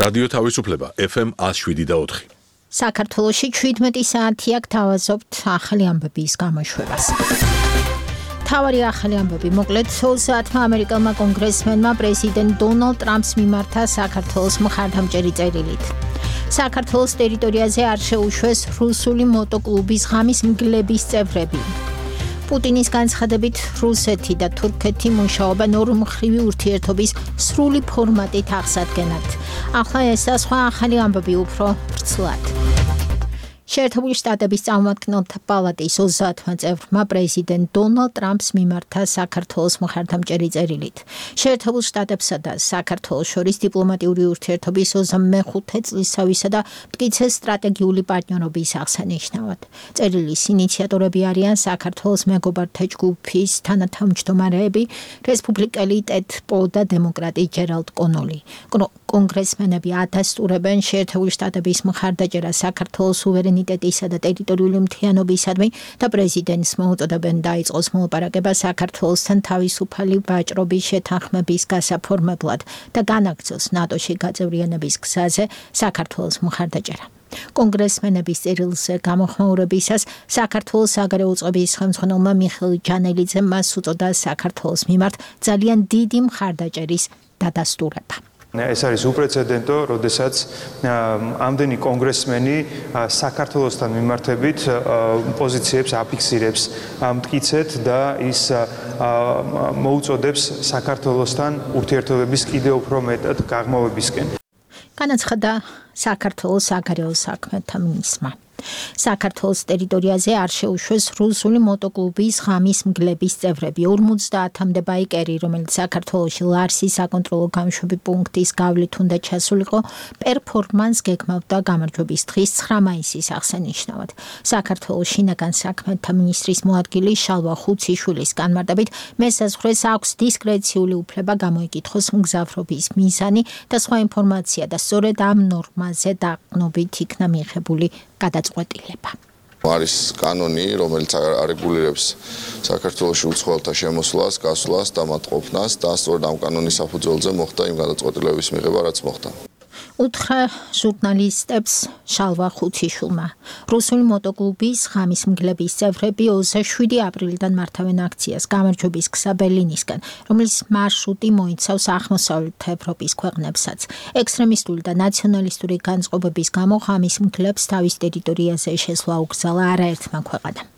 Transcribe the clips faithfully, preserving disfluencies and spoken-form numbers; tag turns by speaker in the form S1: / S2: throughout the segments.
S1: რადიო თავისუფლება ეფ ემ one oh seven და four.
S2: საქართველოში seventeen საათია გთავაზობთ ახალი ამბების გამოშვებას. თავარი ახალი ამბები მოკლედ saatმა ამერიკელმა კონგრესმენმა პრეზიდენტ დონალდ ტრამპს მიმართა საქართველოს მხარდამჭერი წერილით. საქართველოს ტერიტორიაზე არ შეუშვეს რუსული მოტოკლუბის ღამის მგლების წევრები. პუტინის განცხადებით რუსეთი და თურქეთი მუშაობენ ორმხრივი ურთიერთობის სრული ფორმატით აღსადგენად. ახლა ეს და სხვა ახალი ამბები უფრო ვრცლად. შეერთებული შტატების წარმომადგენელთა პალატის ოცდაათმა წევრმა პრეზიდენტ დონალდ ტრამპს მიმართა საქართველოს მხარდამჭერი წერილით. შეერთებულ შტატებსა და საქართველოს შორის დიპლომატიური ურთიერთობის ოცდამეხუთე წლისთავისა და მტკიცე სტრატეგიული პარტნიორობის აღსანიშნავად. წერილის ინიციატორები არიან საქართველოს მეგობართა ჯგუფის თანათავმჯდომარეები, რესპუბლიკელი ტედ პო და დემოკრატი ჯერალდ კონოლი. კონგრესმენები ადასტურებენ შეერთებული შტატების მხარდაჭერას საქართველოს სუვერენიტეტისა და ტერიტორიული მთლიანობისადმი და პრეზიდენტს მოუწოდებენ დაიწყოს მოლაპარაკება საქართველოსთან თავისუფალი ვაჭრობის შეთანხმების გასაფორმებლად და განაგრძოს ნატოში გაწევრიანების გზაზე საქართველოს მხარდაჭერა. კონგრესმენების წერილზე გამოხმაურებისას საქართველოს საგარეო წყობის ხელმძღვანელმა მიხეილ ჯანელიძე მას უწოდა საქართველოს მიმართ ძალიან დიდი მხარდაჭერის დადასტურება.
S3: ეს არის უპრეცედენტო, როდესაც ამდენი კონგრესმენი საქართველოსთან მიმართებით პოზიციებს აფიქსირებს მტკიცედ და ის მოუწოდებს საქართველოსთან ურთიერთობების კიდევ უფრო მეტად გაღრმავებისკენ.
S2: განაცხადა საქართველოს საგარეო საქმეთა მინისტრმა. საქართველოს ტერიტორიაზე არ შეუშვეს რუსული მოტოკლუბის ღამის მგლების წევრები. ორმოცდაათამდე ბაიკერი, რომელიც საქართველოში ლარსის საკონტროლო გამშვები პუნქტის გავლით უნდა ჩასულიყო, პერფორმანს გეგმავდა გამარჯვების დღის ცხრა მაისის აღსანიშნავად. საქართველოს შინაგან საქმეთა მინისტრის მოადგილე შალვა ხუციშვილის განმარტებით, მესაზღვრეს აქვს დისკრეციული უფლება გამოიკითხოს მგზავრობის მიზანი და სხვა ინფორმაცია და სწორედ ამ ნორმაზე დაყრდნობით იქნა მიღებული გადაწყვეტილება.
S4: არის კანონი, რომელიც არეგულირებს საქართველოში უცხოელთა შემოსვლას, გასვლას და მათ ყოფნას და სწორედ ამ კანონის საფუძველზე მოხდა იმ გადაწყვეტილების მიღება, რაც მოხდა.
S2: უთხრა ჟურნალისტებს შალვა ხუციშვილმა. რუსული მოტოკლუბის ღამის მგლების წევრები ოცდაშვიდი აპრილიდან მართავენ აქციას გამარჯვების გზა ბერლინისკენ, რომლის მარშრუტი მოიცავს აღმოსავლეთ ევროპის ქვეყნებსაც. ექსტრემისტული და ნაციონალისტური განწყობების გამო ღამის მგლებს თავის ტერიტორიაზე შესვლა უკრძალა არაერთმა ქვეყანამ.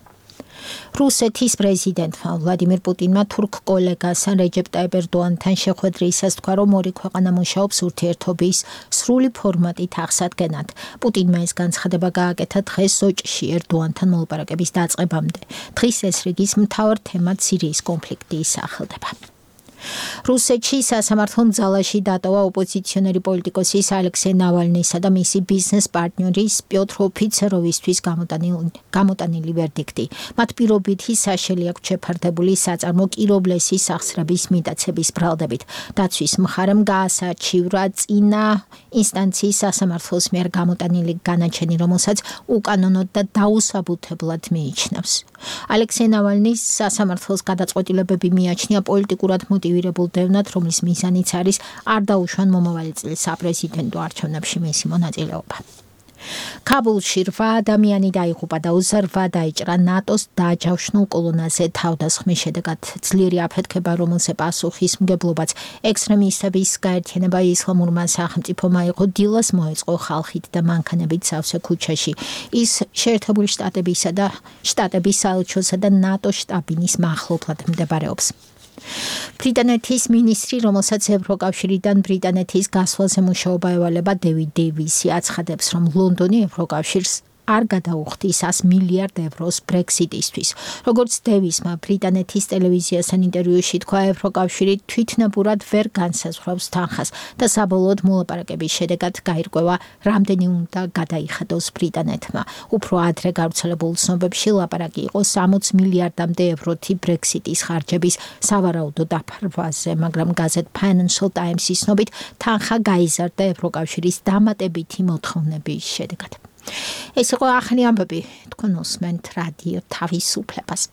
S2: რუსეთის პრეზიდენტმა ვლადიმირ პუტინმა თურქ კოლეგასთან რეჯეპ ტაიპ ერდოანთან შეხვედრისას თქვა, რომ ორი ქვეყანა მუშაობს ურთიერთობის სრული ფორმატით აღსადგენად. პუტინმა ეს განცხადება გააკეთა დღეს სოჭში ერდოანთან მოლაპარაკების დაწყებამდე. დღის ეს რიგის მთავარ თემად სირიის კონფლიქტი ისახელდება. რუსეთში სასამართლო ძალაში დატოვა ოპოზიციონერი პოლიტიკოსის ალექსეი ნავალნისა და მისი ბიზნეს პარტნიორის პიოტრ ოფიცეროვისთვის გამოტანილი ვერდიქტი. მათ პირობითი საშელი აქვთ შეფარდებული საწარმო კირობლესის სახსრების მიტაცების ბრალდებით. დაცვის მხარემ გაასაჩივრა წინა ინსტანციის სასამართლოს მიერ გამოტანილი განაჩენი, რომელსაც უკანონოდ და დაუსაბუთებლად მიიჩნევს. ალექსეი ნავალნის სასამართლოს გადაწყვეტილებები მიაჩნია პოლიტიკურად მოტივირებულ დევნად, რომლის მიზანიც არის არ დაუშვან მომავალი წლის საპრეზიდენტო არჩევნებში მისი მონაწილეობა. ქაბულში რვა ადამიანი დაიღუპა და ოცდარვა დაიჭრა ნატოს დააჯავშნულ კოლონაზე თავდასხმის შედეგად. ძლიერი აფეთქება, რომელზე პასუხისმგებლობაც ექსტრემისტების გაერთიანება ისლამურმა სახელმწიფომ აიღო, დილას მოეწყო ხალხით და მანქანებით სავსე ქუჩაში. ის შეერთებული შტატებისა და შტატების საელჩოსა და ნატოს შტაბ-ბინის მახლობლად მდებარეობს. ბრიტანეთის მინისტრი, რომელსაც ევროკავშირიდან ბრიტანეთის გასვლაზე მუშაობა ევალება, დევიდ დეივისი აცხადებს, რომ ლონდონი ევროკავშირს არ გადაუხდის one hundred მილიარდ ევროს ბრექსიტისთვის. როგორც დევისმა ბრიტანეთის ტელევიზიასთან ინტერვიუში თქვა, ევროკავშირი თვითნებურად ვერ განსაზღვრავს თანხას და საბოლოოდ მოლაპარაკების შედეგად გაირკვევა, რამდენი უნდა გადაიხადოს ბრიტანეთმა. უფრო ადრე გავრცელებულ ცნობებში ლაპარაკი იყო სამოცი მილიარდამდე ევროთი ბრექსიტის ხარჯების სავარაუდო დაფარვაზე, მაგრამ გაზეთ Financial Times-ის ცნობით თანხა გაიზარდა ევროკავშირის დამატებითი მოთხოვნების შედეგად. ეს იყო ახალი ამბები, თქვენ უსმენთ რადიო თავისუფლებას.